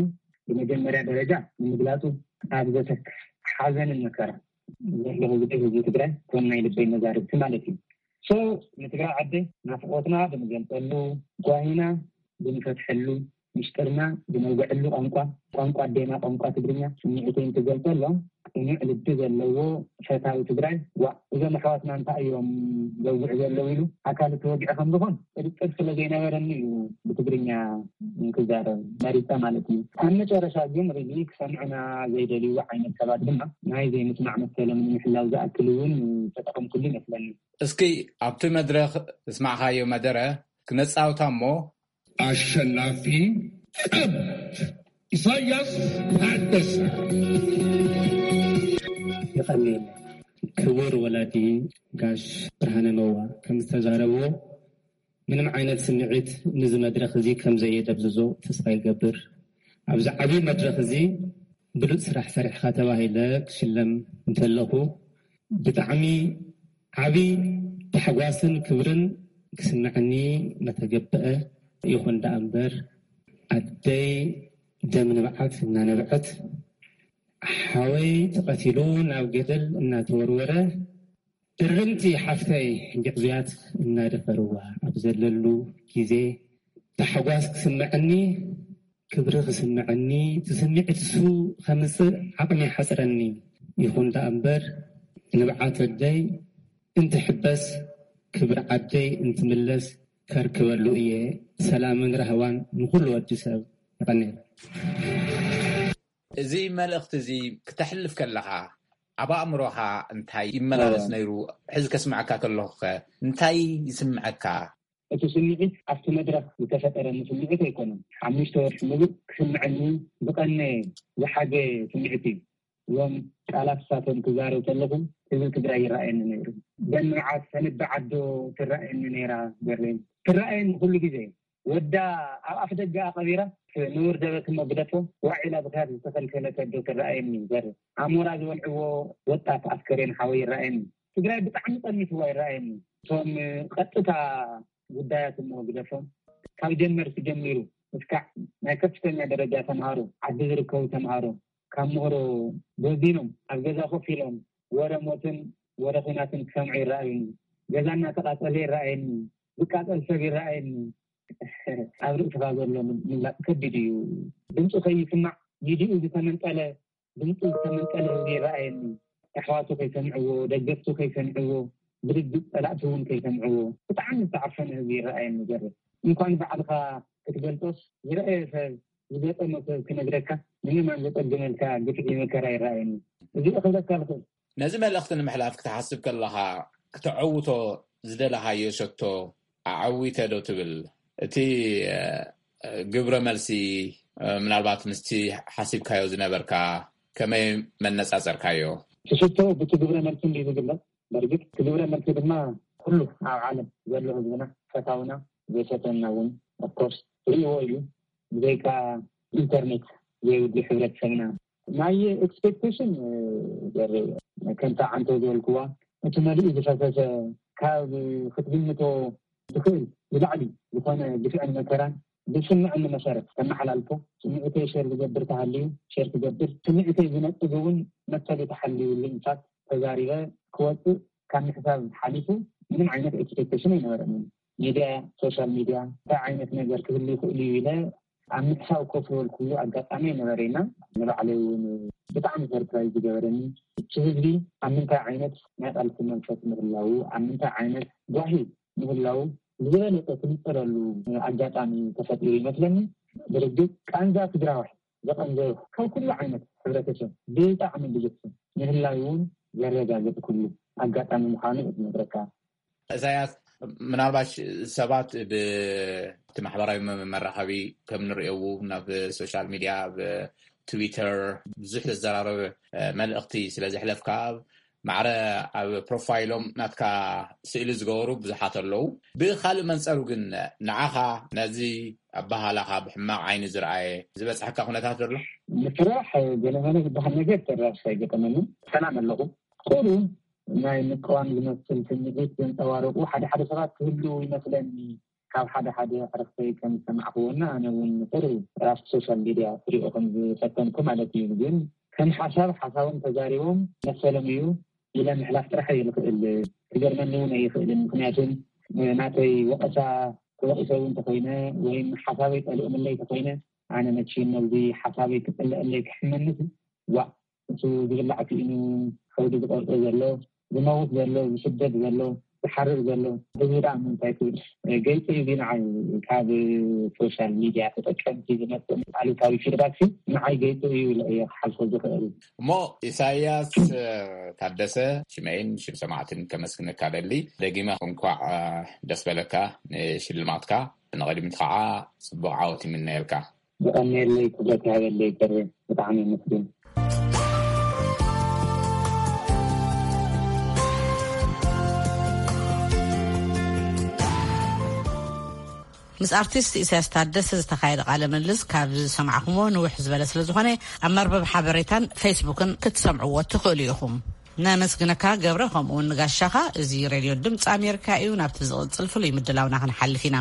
ብመጀመርያ ደረጃ ንምግላፁ ኣብ ዘተክፍ ሓዘንን መከራ ዘለኹ ግዜ ህዝቢ ትግራይ እቶም ናይ ልበይ መዛርብቲ ማለት እዩ። ሶ ንትግራይ ዓደይ ናፍቆትና ብንገልፀሉ፣ ጓሂና ብንፈትሐሉ፣ ሚስጥርና ብነውግዐሉ ቋንቋ፣ ቋንቋ ኣዴና ቋንቋ ትግርኛ ስምዒተይ እንትገልፀሎም ቅኑዕ ልቢ ዘለዎ ፈታዊ ትግራይ፣ ዋእ እዞም ኣሕዋትና እንታይ እዮም ዘውግዑ ዘለዉ ኢሉ ኣካል እቲ ወግዒ ከም ዝኾን ጥርጥር ስለ ዘይነበረኒ እዩ ብትግርኛ ክዛረብ መሪፀ ማለት እዩ። ኣብ መጨረሻ ግን ሪሊ ክሰምዑና ዘይደልዩ ዓይነት ሰባት ድማ ናይ ዘይምስማዕ መሰሎም ንምሕላው ዝኣክል እውን ተጠቐምኩሉ ይመስለኒ። እስኪ ኣብቲ መድረኽ ዘስማዕኻዮ መደረ ክነጻውታ እሞ። ኣሸናፊ ቀብ ኢሳያስ ታደሰ። የቐንየለይ። ክቡር ወላዲ ጋሽ ብርሃነ መዋ ከም ዝተዛረብዎ ምንም ዓይነት ስምዒት ነዚ መድረኽ እዚ ከም ዘየደብዝዞ ተስፋ ይገብር። ኣብዚ ዓብዪ መድረኽ እዚ ብሉጽ ስራሕ ሰሪሕኻ ተባሂለ ክሽለም እንተለኹ ብጣዕሚ ዓብዪ ታሕጓስን ክብርን ክስምዐኒ መተገብአ። ይኹን ደኣ እምበር ኣደይ ደም ንብዓት እናነብዐት ሓወይ ተቐቲሉ ናብ ገደል እናተወርወረ እርምቲ ሓፍተይ ግዕዙያት እናደፈርዋ ኣብ ዘለሉ ግዜ ታሕጓስ ክስምዐኒ፣ ክብሪ ክስምዐኒ፣ እቲ ስምዒት እሱ ከምጽእ ዓቕሚ ይሓጽረኒ። ይኹን ደኣ እምበር ንብዓት ኣደይ እንትሕበስ ክብሪ ዓደይ እንትምለስ ከርክበሉ እየ። ሰላምን ራህዋን ንኹሉ ወዲ ሰብ። ይቐንየለይ። እዚ መልእኽቲ እዚ ክተሕልፍ ከለኻ ኣብ ኣእምሮኻ እንታይ ይመላለስ ነይሩ? ሕዚ ከስምዐካ ከለኹኸ እንታይ ይስምዐካ? እቲ ስምዒት ኣብቲ መድረኽ ዝተፈጠረኒ ስምዒት ኣይኮነን። ሓሙሽተ ወርሒ ሙሉእ ክስምዐኒ ዝቐነየ ዝሓገየ ስምዒት እዩ። እዞም ቃላት እሳቶም ክዛረብ ከለኹ ህዝቢ ትግራይ ይረኣየኒ ነይሩ። ደም ንብዓት ተንቢ ዓዶ ትረኣየኒ ነይራ። በሬን ትረኣየኒ ኩሉ ግዜ። ወዳ ኣብ ኣፍ ደገ ኣቐቢራ ንውርደበት እሞ ግደፎ ዋዒላ ብኽያት ዝተኸልከለት ኣዶ ትረኣየኒ። በሬ ኣሞራ ዝበልዕዎ ወጣት ኣስከሬን ሓወይ ይረኣየኒ። ትግራይ ብጣዕሚ ጠሚትዋ ይረኣየኒ። እቶም ቀጥታ ጉዳያት እሞ ግደፎም ካብ ጀመርቲ ጀሚሩ እስካዕ ናይ ከፍተኛ ደረጃ ተምሃሮ ዓዲ ዝርከቡ ተምሃሮ ካብ ምህሮ ጎዚኖም ኣብ ገዛ ኮፍ ኢሎም ወረ ሞትን ወረ ኹናትን ክሰምዑ ይረኣዩኒ። ገዛ እናተቓጸለ ይረኣየኒ፣ ዝቃጸል ሰብ ይረኣየኒ። ኣብ ርእስኻ ዘሎ ምግላጽ ከቢድ እዩ። ድምፁ ከይስማዕ ኢዲኡ ዝተመንጠለ፣ ድምፁ ዝተመንጠለ ህዝቢ ይረኣየኒ። ኣሕዋቱ ከይሰምዕዎ፣ ደገፍቱ ከይሰምዕዎ፣ ብርግጽ ጸላእቲ እውን ከይሰምዕዎ ብጣዕሚ ዝተዓፈነ ህዝቢ ይረኣየኒ። ገርም እንኳን ባዕልኻ ክትገልጾስ ዝረኣየ ሰብ ዝገጠሞ ሰብ ክነግረካ ንምማን ዘጸግመልካ ግፍዒ መከራ ይረኣየኒ። እዚ ክብለካ ዝኽእል ነዚ መልእኽቲ ንምሕላፍ ክትሓስብ ከለኻ ክተዐውቶ ዝደለኻዮ ሸቶ ኣዓዊተ ዶ ትብል? እቲ ግብረ መልሲ ምናልባት ምስቲ ሓሲብካዮ ዝነበርካ ከመይ መነጻጸርካዮ? እቲ ሽቶ ብቲ ግብረ መልሲ እንዲ ዝግለጽ በርግጥ እቲ ግብረ መልሲ ድማ ኩሉ ኣብ ዓለም ዘሎ ህዝብና ፈታውና ዘሸተና እውን ኦፍኮርስ ርእዎ እዩ። ብዘይካ ኢንተርኔት ዘይብሉ ሕብረተሰብና ናይ ኤክስፔክቴሽን ከምታ ዓንቶ ዝበልክዋ እቲ መሊኡ ዝፈሰሰ ካብ ክትግምቶ ዝኽእል ንላዕሊ ዝኾነ ግፍዕን መከራን ብስምዕኒ መሰረት ተመሓላልፎ። ስምዒተይ ሸር ዝገብር ተሃልዩ ሸር ክገብር፣ ስምዒተይ ዝነጥግ እውን መሰሉ ተሓልዩሉ ኢንፋክት ተዛሪበ ክወፅእ ካብ ምሕሳብ ሓሊፉ ምንም ዓይነት ኤክስፔክቴሽን ኣይነበረንን። ሚድያ፣ ሶሻል ሚድያ እንታይ ዓይነት ነገር ክህሉ ይኽእሉ እዩ ኢለ ኣብ ምሕሳብ ኮፍ ዝበልኩሉ ኣጋጣሚ ኣይነበረና። ንባዕለይ እውን ብጣዕሚ ሰርፕራይዝ ዝገበረኒ፣ እቲ ህዝቢ ኣብ ምንታይ ዓይነት ናይ ቃልሲ መንፈስ ምህላዉ፣ ኣብ ምንታይ ዓይነት ጓሂ ምህላዉ ዝበለጸ ትንጸረሉ ኣጋጣሚ ተፈጢሩ ይመስለኒ። ብርግጽ ቃንዛ ትግራዋይ ዘቐንዘ ካብ ኩሉ ዓይነት ሕብረተሰብ ብጣዕሚ ብዙሕ ምህላዩ እውን ዘረጋግጽ ኩሉ ኣጋጣሚ ምዃኑ እዩ ዝነግረካ። ኢሳያስ፣ ምናልባሽ ሰባት ብቲ ማሕበራዊ መ-፣ መራኸቢ ከም ንርእየው ናብ ሶሻል ሚዲያ፣ ኣብ ትዊተር ብዙሕ ዘዘራረበ፣ እ፣ መልእኽቲ ስለ ዘሕለፍካ፣ ማዕረ ኣብ ፕሮፋይሎም ናትካ ስእሊ ዝገበሩ ብዙሓት ኣለዉ። ብኻልእ መንጸሩ ግን ንዓኻ ነዚ ኣበሃላኻ ብሕማቕ ዓይኒ ዝረኣየ ዝበጽሐካ ኩነታት ዘሎ? ምስራሕ ገለመለ ዝበሃል ነገር ጭራሽ ኣይገጠመንን። ሰላም ኣለኹ። ቁሩብ ናይ ምቅዋም ዝመስል ስምዒት ዘንጸባረቑ ሓደ ሓደ ሰባት ክህልዉ ይመስለኒ። ካብ ሓደ ሓደ ዕርኽተይ ከም ዝሰማዕክዎና ኣነ እውን ቁሩብ ኣብቲ ሶሻል ሚድያ ክሪኦ ከም ዝፈተንኩ ማለት እዩ። ግን ከም ሓሳብ ሓሳቦም ተዛሪቦም መሰሎም እዩ ኢለ ምሕላፍ ጥራሕ እየ ዝኽእል። ክገርመኒ እውን ኣይኽእልን። ምኽንያቱም ናተይ ወቐሳ ተወቒሰ እውን ተኾይነ ወይም ሓሳበይ ጠሊኦምለይ ተኾይነ ኣነ መቼም ነዚ ሓሳበይ ክጽልአለይ ክሕመንስ ዋእ፣ እሱ ዝብላዕ ክኢኑ ከብዱ ዝቆርጦ ዘሎ፣ ዝመውት ዘሎ፣ ዝስደድ ዘሎ፣ ዝሓርር ዘሎ ህዝቢ ደኣ ምንታይ ክብል? ገይጹ እዩ ንዓይ ካብ ሶሻል ሚድያ ተጠቀምቲ ዝመጽእ ኣሉታዊ ፊድባክ ንዓይ ገይጹ እዩ ኢለ እየ ክሓልፎ ዝኽእል። እሞ ኢሳያስ ታደሰ፣ ሽመይን ሽም ሰማዕትን ከመስግነካ ደሊ። ደጊመ እንኳዕ ደስ በለካ ንሽልማትካ። ንቕድሚት ከዓ ጽቡቕ ዓወት ይምነየልካ። ብቐንየለይ ክብረት ይሃበለይ። ጥሪ ብጣዕሚ የመስግን። ምስ ኣርቲስት ኢሳያስ ታደሰ ዝተኻየደ ቃለ ምልልስ ካብ ዝሰማዕኩሞ ንውሕ ዝበለ ስለ ዝኾነ ኣብ መርበብ ሓበሬታን ፌስቡክን ክትሰምዕዎ ትኽእሉ ኢኹም። ነመስግነካ ገብረ፣ ከምኡ እውን ንጋሻኻ። እዚ ሬድዮ ድምፂ ኣሜሪካ እዩ። ናብቲ ዝቕፅል ፍሉይ ምድላውና ክንሓልፍ ኢና።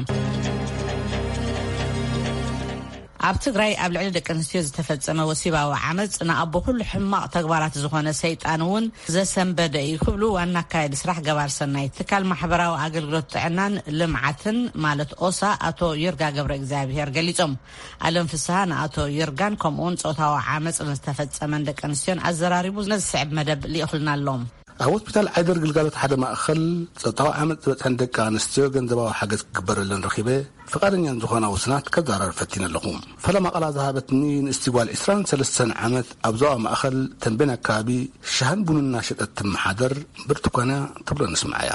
ኣብ ትግራይ ኣብ ልዕሊ ደቂ ኣንስትዮ ዝተፈጸመ ወሲባዊ ዓመፅ ንኣቦ ኩሉ ሕማቕ ተግባራት ዝኾነ ሰይጣን እውን ዘሰንበደ እዩ ክብሉ ዋና ኣካያዲ ስራሕ ገባር ሰናይ ትካል ማሕበራዊ ኣገልግሎት ጥዕናን ልምዓትን ማለት ኦሳ ኣቶ ይርጋ ገብረ እግዚኣብሔር ገሊጾም። ኣለም ፍስሃ ንኣቶ ይርጋን ከምኡውን ጾታዊ ዓመፅ ንዝተፈጸመን ደቂ ኣንስትዮን ኣዘራሪቡ ነዚ ስዕብ መደብ ልኢኹልና ኣሎ። ኣብ ሆስፒታል ዓይደር ግልጋሎት ሓደ ማእኸል ጾታዊ ዓመፅ ዝበፅሐን ደቂ ኣንስትዮ ገንዘባዊ ሓገዝ ክግበረለን ረኺበ ፍቓደኛን ዝኾና ውስናት ከዘራርብ ፈቲነ ኣለኹ። ፈለማ ቃላ ዝሃበትኒ ንእስቲ ጓል ዕስራን ሰለስተን ዓመት ኣብ ዞባ ማእኸል ተንቤን ኣከባቢ ሻህን ቡንን እናሸጠት ትመሓደር ብርቱኳን እያ ትብሎ ንስምዓያ።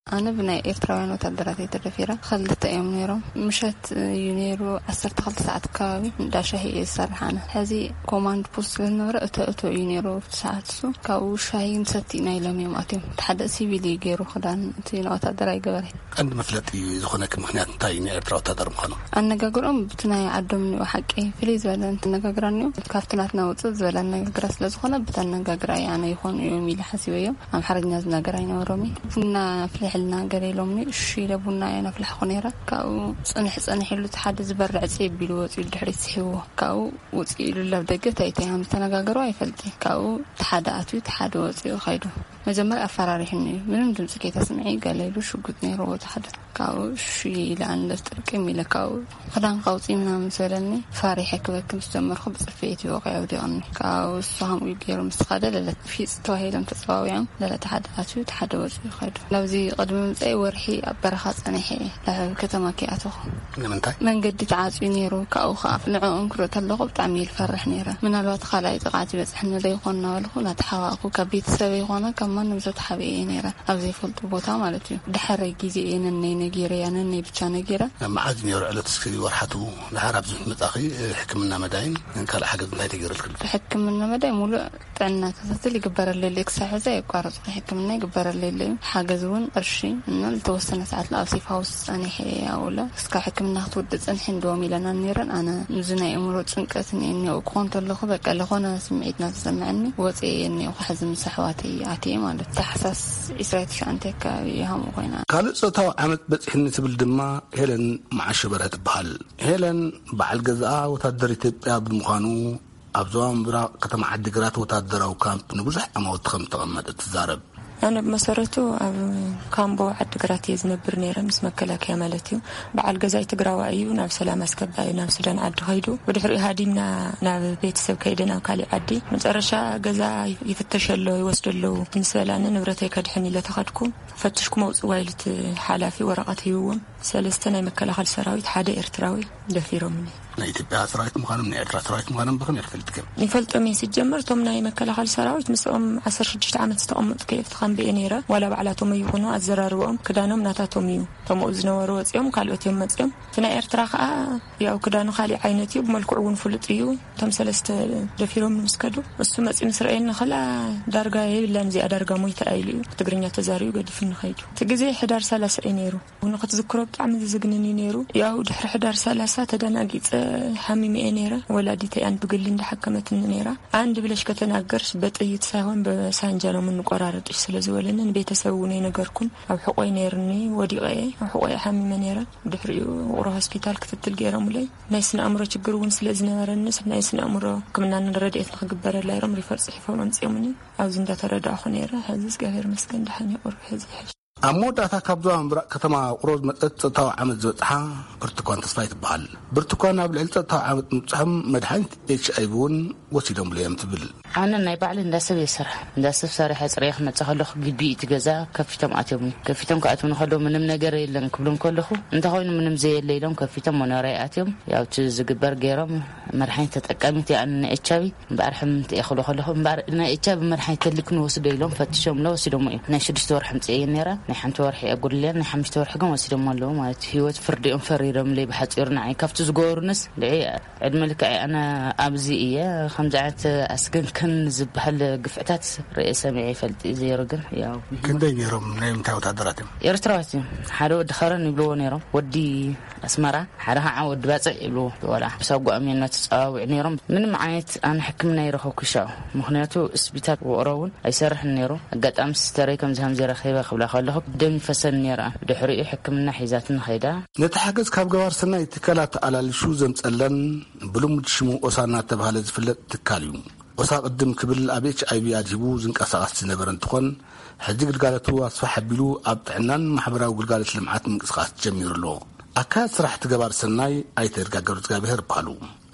ኣነ ብናይ ኤርትራውያን ወታደራት እየ ተደፊረ። ክልተ እዮም ነይሮም። ምሸት እዩ ነይሩ፣ ዓሰርተ ክልተ ሰዓት ከባቢ እንዳ ሻሂ እየ ዝሰርሕ ኣነ። ሕዚ ኮማንድ ፖስት ስለ ዝነበረ እቶ እቶ እዩ ነይሩ ኣብቲ ሰዓት እሱ። ካብኡ ሻሂ ንሰቲ ኢና ኢሎም እዮም ኣትዮም። እቲ ሓደ ሲቪል እዩ ገይሩ ክዳን፣ እቲ ወታደር ኣይገበረ። ቀንዲ መፍለጢ ዝኾነኪ ምኽንያት እንታይ እዩ ንኤርትራ ወታደር ምዃኑ? ኣነጋግርኦም ብቲ ናይ ዓዶም እኒኦ ሓቂ ፍልይ ዝበለ ኣነጋግራ እኒኦ። ካብቲ ናትና ውፅእ ዝበለ ኣነጋግራ ስለ ዝኾነ ብቲ ኣነጋግራ እየ ኣነ ይኾኑ እዮም ኢለ ሓሲበዮም። ኣምሓርኛ ዝናገር ኣይነበሮም እዩ። ቡና ኣፍልሕልና ገለ ኢሎምኒ፣ እሺ ኢለ ቡና እየ ነፍላሕኹ ነይረ። ካብኡ ፅንሕ ፅንሕ ኢሉ እቲ ሓደ ዝበርዕ ፅብ ኢሉ ወፂኡ ድሕሪት ስሒብዎ። ካብኡ ውፅእ ኢሉ ኣብ ደገ እንታይ እንታይ ከም ዝተነጋገሩ ኣይፈልጥን። ካብኡ እቲ ሓደ ኣትዩ እቲ ሓደ ወፂኡ ኸይዱ። መጀመርያ ኣፈራሪሑኒ እዩ። ምንም ድምፂ ከይተስምዒ ገለ ኢሉ ሽጉጥ ነይርዎ እቲ ሓደ። ካብኡ እሺ ኢለ ኣነ ጥርቅም ኢለ ካብኡ ክዳንካ ኣውፅኢ ምናምን ምስ በለኒ ፈሪሐ ክበኪ ምስ ጀመርኩ ብፅፍዒት እዩ ወቒዑ ኣውዲቕኒ። ካብኡ እሱ ከምኡ ገይሩ ምስ ኸደ ለለ ፊፅ ተባሂሎም ተፀዋዊዖም ለለ እቲ ሓደ ኣትዩ እቲ ሓደ ወፂኡ ኸዱ። ናብዚ ቅድሚ ምምፀኢ ወርሒ ኣብ በረኻ ፀኒሐ እየ። ናብ ከተማ ከይኣተኹ ንምንታይ? መንገዲ ተዓፅዩ ነይሩ። ካብኡ ከዓ ንዕኦም ክርኢ ከለኹ ብጣዕሚ እየ ዝፈርሕ ነይረ። ምናልባት ካልኣይ ጥቕዓት ይበፅሐኒ ዶ ይኾን እናበልኩ እናተሓባእኩ ካብ ቤተሰበይ ይኾነ ካብ ማንም ሰብ ተሓቢኤ እየ ነይረ። ኣብ ዘይፈልጦ ቦታ ማለት እዩ። ድሕረይ ግዜ እየ ነነይ ነጊረያ፣ ነነይ ብቻ ነጊረ። መዓዝ እዩ ነይሩ ዕለት እስኪ ወርሓቱ? ድሓር ኣብዚ ምስ መጻኺ ሕክምና መዳይን ካልእ ሓገዝ እንታይ ተገይሩልክን? ሕክምና መዳይ ሙሉእ ጥዕና ክትትል ይግበረለይ ኣሎ። ክሳብ ሕዚ ኣየቋረጽኩ ሕክምና ይግበረለይ ኣሎ እዩ። ሓገዝ እውን ቅርሺ እና ዝተወሰነ ሰዓት ኣብ ሴፍ ሃውስ ጸኒሐ እየ ኣብኡ። እስካብ ሕክምና ክትወድእ ጽንሒ እንድዎም ኢለና ነይረን። ኣነ እዚ ናይ ኣእምሮ ጭንቀት እኒኦ ክኾን ተለኹ በቃ ለኾነ ስምዒት እናተሰምዐኒ ወፂኤ እየ እኒኦ። ሕዚ ምስ ኣሕዋተይ ኣትየ ማለት ታሕሳስ ዕስራን ትሽዓተን ኣካባቢ እየ ከምኡ ኮይና። ካልእ ጾታዊ ዓመጽ በጺሕኒ ትብል ድማ ሄለን መዓሾ በርሀ ትበሃል። ሄለን በዓል ገዛኣ ወታደር ኢትዮጵያ ብምዃኑ ኣብ ዞባ ምብራቕ ከተማ ዓዲግራት ወታደራዊ ካምፕ ንብዙሕ ዓማውቲ ከም ዝተቐመጠ ትዛረብ። ኣነ ብመሰረቱ ኣብ ካምቦ ዓዲግራት እየ ዝነብር ነይረ፣ ምስ መከላከያ ማለት እዩ። በዓል ገዛይ ትግራዋይ እዩ፣ ናብ ሰላም ኣስከባ እዩ ናብ ሱዳን ዓዲ ከይዱ። ብድሕሪኡ ሃዲምና ናብ ቤተሰብ ከይደ ናብ ካሊእ ዓዲ። መጨረሻ ገዛ ይፍተሽ ኣሎ፣ ይወስዱ ኣለዉ ምስ በላኒ፣ ንብረተይ ከድሕን ኢለ ተኸድኩ። ፈትሽኩም ኣውፅዋ ኢሉ እቲ ሓላፊ ወረቐት ሂብዎም። ሰለስተ ናይ መከላኸሊ ሰራዊት፣ ሓደ ኤርትራዊ ደፊሮምኒ። ናይ ኢትዮጵያ ሰራዊት ምዃኖም ናይ ኤርትራ ሰራዊት ምዃኖም ብኸመይ ክትፈልጥ? ይፈልጦም እየ። ሲጀመር እቶም ናይ መከላኸሊ ሰራዊት ምስኦም ዓሰርተ ሽዱሽተ ዓመት ዝተቐመጡ ከየፍቲ ካምቢ እየ ነይረ። ዋላ ባዕላቶም ይኹኑ ኣዘራርበኦም ክዳኖም ናታቶም እዩ። እቶም ኣብኡ ዝነበሩ ወፂኦም፣ ካልኦት እዮም መፂኦም። እቲ ናይ ኤርትራ ከዓ ያው ክዳኑ ካሊእ ዓይነት እዩ፣ ብመልክዑ እውን ፍሉጥ እዩ። እቶም ሰለስተ ደፊሮም ምስ ከዱ፣ እሱ መፂኡ ምስ ረኣየኒ፣ ከላ ዳርጋ የብላን እዚኣ፣ ዳርጋ ሞይታ ኢሉ እዩ ትግርኛ ተዛሪቡ ገዲፉኒ ከይዱ። እቲ ግዜ ሕዳር ሰላሳ እዩ ነይሩ። ንኽትዝክሮ ብጣዕሚ ዝዝግንን እዩ ነይሩ። ያው ድሕሪ ሕዳር ሰላሳ ተደናጊጸ ሓሚመ እየ ነይረ። ወላዲተይ ኣን ብግሊ እንዳሓከመትኒ ነይራ። አንድ ብለሽ ከተናገርሽ በጥይት ሳይሆን በሳንጃ ነው የምንቆራረጥሽ ስለ ዝበለንን ቤተሰብ እውን ኣይነገርኩን። ኣብ ሕቆይ ነይርኒ፣ ወዲቐ እየ ኣብ ሕቆይ ሓሚመ ነይረ። ድሕሪኡ ውቕሮ ሆስፒታል ክትትል ገይሮምለይ። ናይ ስነ ኣእምሮ ችግር እውን ስለ ዝነበረኒ ናይ ስነ ኣእምሮ ሕክምናን ረድኤት ንክግበረላ ኢሎም ሪፈር ጽሒፎም ኣምጺኦምኒ። ኣብዚ እንዳተረዳእኹ ነይረ። ሕዚ እግዚኣብሔር መስገን ደሓን ይቑርብ ሕዚ ይሕሽ። ኣብ መወዳእታ ካብ ዞባ ምብራቕ ከተማ ውቕሮ ዝመጸት ጾታዊ ዓመት ዝበጽሓ ብርቱኳን ተስፋይ ትበሃል። ብርቱኳን ኣብ ልዕሊ ጾታዊ ዓመት ምብጽሖም መድሓኒት ኤች ኣይ ቪ እውን ወሲዶምሉ እዮም ትብል። ኣነ ናይ ባዕሊ እንዳሰብ እየ ዝሰርሕ። እንዳሰብ ሰሪሐ ጽሬ ክመጽእ ከለኹ ግቢ እቲ ገዛ ከፊቶም ኣትዮም። ከፊቶም ክኣትውኒ ከለዉ ምንም ነገር የለን ክብሎም ከለኹ እንተኾይኑ ምንም ዘየለ ኢሎም ከፊቶም መኖርያ ኣትዮም። ያው እቲ ዝግበር ገይሮም መድሓኒት ተጠቃሚት እያ ኣነ ናይ ኤች ኣይ ቪ። እምበኣር ሕምምቲ እየ ክብሎ ከለኹ፣ እምበኣር ናይ ኤች ኣይ ቪ መድሓኒት ተልክኒ ወስዶ ኢሎም ፈትሾምሎ ወሲዶሞ እዮም። ናይ ሽዱሽተ ወርሒ ምጽእ እየን ነይረ፣ ናይ ሓንቲ ወርሒ የጉድልየን፣ ናይ ሓሙሽተ ወርሒ ግን ወሲዶሞ ኣለዉ ማለት እዩ። ህይወት ፍርዲ እዮም ፈሪዶምለይ ብሓጺሩ ንዓይ። ካብቲ ዝገበሩንስ ልዒ ዕድመ ልክዐይ ኣነ ኣብዚ እየ። ከምዚ ዓይነት ኣስገንከን ዝበሃል ግፍዕታት ርእየ ሰሚዐ ይፈልጥ እዩ፣ ዘይሩ ግን ያው ክንደይ ነይሮም? ናይ ምንታይ ወታደራት እዮም? ኤርትራዋት እዮም። ሓደ ወዲ ኸረን ይብልዎ ነይሮም፣ ወዲ ኣስመራ፣ ሓደ ከዓ ወዲ ባጽዕ ይብልዎ። ወላ ሳጓኦም እዮም እናተጸዋውዑ ነይሮም። ምንም ዓይነት ኣነ ሕክምና ይረኸብኩ ሻው፣ ምኽንያቱ ስፒታል ውቕሮ እውን ኣይሰርሕን ነይሩ። ኣጋጣሚ ሲስተረይ ከምዚ ከምዚ ረኺበ ክብላ ከለኹ ደም ይፈሰን ነይራ። ድሕሪኡ ሕክምና ሒዛትኒ ኸይዳ። ነቲ ሓገዝ ካብ ገባር ሰናይ ትካላት ኣላልሹ ዘምጸለን ብልሙድ ሽሙ ኦሳ እናተባህለ ዝፍለጥ ትካል እዩ። ኦሳ ቅድም ክብል ኣብ ኤች ኣይ ቪ ኣድሂቡ ዝንቀሳቐስ ዝነበረ እንትኾን፣ ሕጂ ግልጋሎቱ ኣስፋሕ ኣቢሉ ኣብ ጥዕናን ማሕበራዊ ግልጋሎት ልምዓት ምንቅስቓስ ጀሚሩ ኣሎ። ኣካያዲ ስራሕ እቲ ገባር ሰናይ ኣይተ ይርጋ ገብረእግዚኣብሔር ይበሃሉ።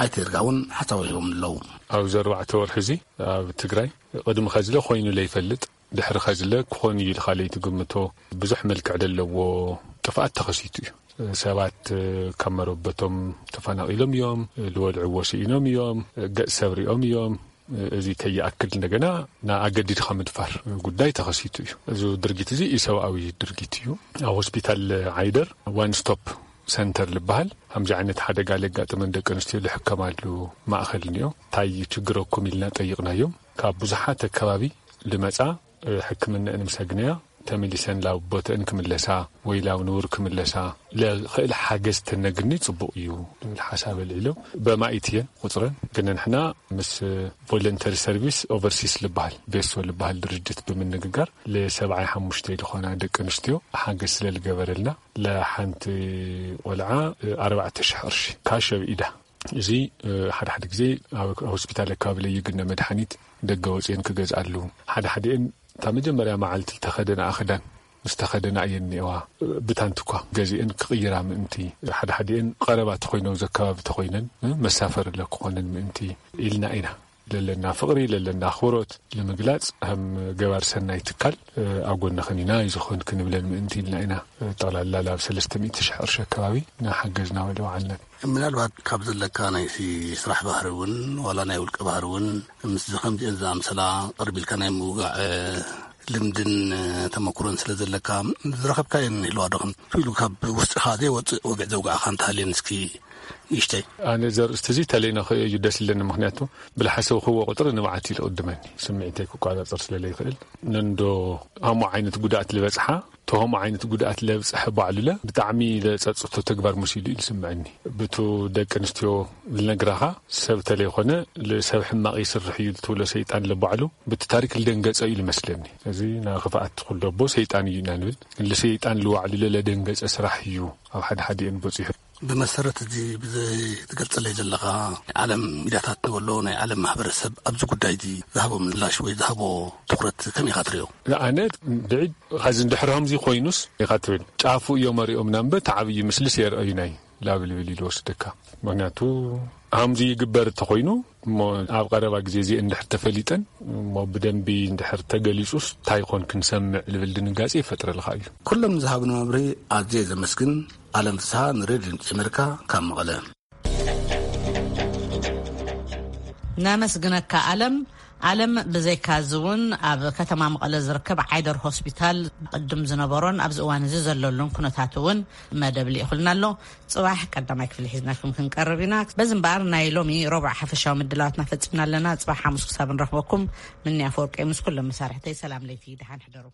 ኣይተ ይርጋ እውን ሓሳብ ሂቦም ኣለዉ። ኣብዚ ኣርባዕተ ወርሒ እዚ ኣብ ትግራይ ቅድሚ ኸዚ ለ ኮይኑ ለይፈልጥ፣ ድሕሪ ኸዚ ለ ክኾን እዩ ኢልካ ለይትግምቶ ብዙሕ መልክዕ ዘለዎ ጥፍኣት ተኸሲቱ እዩ። ሰባት ካብ መረበቶም ተፈናቒሎም እዮም፣ ልበልዕዎ ስኢኖም እዮም፣ ገጽ ሰብ ሪኦም እዮም። እዚ ከይኣክል እንደገና ንኣገዲድካ ምድፋር ጉዳይ ተኸሲቱ እዩ። እዚ ድርጊት እዚ ኢሰብኣዊ ድርጊት እዩ። ኣብ ሆስፒታል ዓይደር ዋን ስቶፕ ሰንተር ዝበሃል ከምዚ ዓይነት ሓደጋ ለጋጥመን ደቂ ኣንስትዮ ልሕከማሉ ማእኸል እኒኦ። እንታይ እዩ ችግረኩም ኢልና ጠይቕናዮም። ካብ ብዙሓት ኣከባቢ ልመጻ ሕክምነአን ምስ ኣግነያ ተመሊሰን ላብ ቦተአን ክምለሳ ወይ ላብ ንቡር ክምለሳ ለኽእል ሓገዝ ተነግኒ ጽቡቕ እዩ ዝብል ሓሳብ ኣልዒሎም። በማኢት እየን ቁጽረን፣ ግን ንሕና ምስ ቮለንተሪ ሰርቪስ ኦቨርሲስ ልበሃል፣ ቤሶ ልበሃል ድርጅት ብምንግጋር ለሰብዓይ ሓሙሽተ ዝኾና ደቂ ኣንስትዮ ሓገዝ ስለ ልገበረልና ለሓንቲ ቆልዓ ኣርባዕተ ሽሕ ቅርሺ ካሽ ኣብ ኢዳ። እዚ ሓደ ሓደ ግዜ ኣብ ሆስፒታል ኣካባቢ ለይግነ መድሓኒት ደገ ወፅኤን ክገዝኣሉ፣ ሓደ ሓደኤን እታ መጀመርያ መዓልቲ ዝተኸደና ኣኽዳን ምስ ተኸደና እየን እኒአዋ። ብታንቲ እኳ ገዚአን ክቕይራ ምእንቲ፣ ሓደ ሓደኤን ቀረባ ተኾይነው ዘከባቢ ተኾይነን መሳፈሪ ለክኾነን ምእንቲ ኢልና ኢና። ለለና ፍቕሪ፣ ለለና ኣኽብሮት ንምግላጽ ከም ገባር ሰናይ ትካል ኣብ ጎንኽን ኢና፣ ኣይዞኽን ክንብለን ምእንቲ ኢልና ኢና። ጠቕላላ ላብ ሰለስተ ሚእቲ ሽሕ ቅርሺ ኣከባቢ እናሓገዝና ወደ ወዓልናን። ምናልባት ካብ ዘለካ ናይ ሲ-፣ ስራሕ ባህሪ እውን ዋላ ናይ ውልቀ ባህሪ እውን ምስዚ ከምዚአን ዝኣምሰላ ቅርብ ኢልካ ናይ ምውጋዕ ልምድን ተመክሮን ስለ ዘለካ ዝረኸብካየን ይህልዋ ዶ? ከም ኢሉ ካብ ውስጥኻ ዘይወፅእ ወግዒ ዘውጋዕካ እንተሃልየን እስኪ ንእሽተይ። ኣነ እዚ ኣርእስቲ እዚ ተለይና ክርእዮ እዩ ደስ ኢለኒ። ምኽንያቱ ብልሓሰብክዎ ቁፅሪ ንብዓት እዩ ዝቕድመኒ። ስምዒተይ ክቆፃፀር ስለ ዘይኽእል ነንዶ ሃሞ ዓይነት ጉድኣት ዝበፅሓ፣ ተሆሞ ዓይነት ጉድኣት ለብፅሐ ባዕሉለ ብጣዕሚ ለፀፅቶ ተግባር መሲሉ እዩ ዝስምዐኒ። ብቱ ደቂ ኣንስትዮ ልነግራኻ ሰብ ተለይኮነ ሰብ ሕማቕ ይስርሕ እዩ ትብሎ ሰይጣን ለባዕሉ ብቲ ታሪክ ልደንገፀ እዩ ልመስለኒ። እዚ ናይ ክፍኣት ኩሎ ኣቦ ሰይጣን እዩ ኢና ንብል። ልሰይጣን ልዋዕሉ ለለደንገፀ ስራሕ እዩ ኣብ ሓደ ሓዲአን በፂሑ። ብመሰረት እዚ ብዘይ ትገልጸለይ ዘለኻ ናይ ዓለም ሚድያታት ንበሎ ናይ ዓለም ማሕበረሰብ ኣብዚ ጉዳይ እዚ ዝሃቦ ምላሽ ወይ ዝሃቦ ትኹረት ከመይ ኢኻ ትሪኦ? ኣነ ብዒድ ኸዚ እንድሕር ከምዚ ኮይኑስ ኢኻ ትብል ጫፉ እዮም ኣሪኦም ናምበ ተዓብዩ ምስልስ የርእዩናይ ላብልብል ኢሉ ወስደካ። ምክንያቱ ከምዚ ይግበር እንተኾይኑ እሞ ኣብ ቀረባ ግዜ እዚ እንድሕር ተፈሊጠን እሞ ብደንቢ እንድሕር ተገሊጹስ እንታይ ይኾን ክንሰምዕ ልብል ድንጋጼ ይፈጥረልካ እዩ። ኩሎም ዝሃብኒ መብርሂ ኣዝየ ዘመስግን። ኣለም ፍስሃ ንሬድዮ ድምፂ ኣሜሪካ ካብ መቐለ። ነመስግነካ ኣለም። ኣለም ብዘይካ እዚ እውን ኣብ ከተማ መቐለ ዝርከብ ዓይደር ሆስፒታል ቅድም ዝነበሮን ኣብዚ እዋን እዚ ዘለሉን ኩነታት እውን መደብ ልኢኹልና ኣሎ። ጽባሕ ቀዳማይ ክፍሊ ሒዝናልኩም ክንቀርብ ኢና። በዚ እምበኣር ናይ ሎሚ ረቡዕ ሓፈሻዊ ምድላዋትና ፈጺምና ኣለና። ጽባሕ ሓሙስ ክሳብ ንረኽበኩም ምንያ ኣፈወርቂ ምስ ኩሎም መሳርሕተይ ሰላም ለይቲ፣ ደሓን ሕደሩ።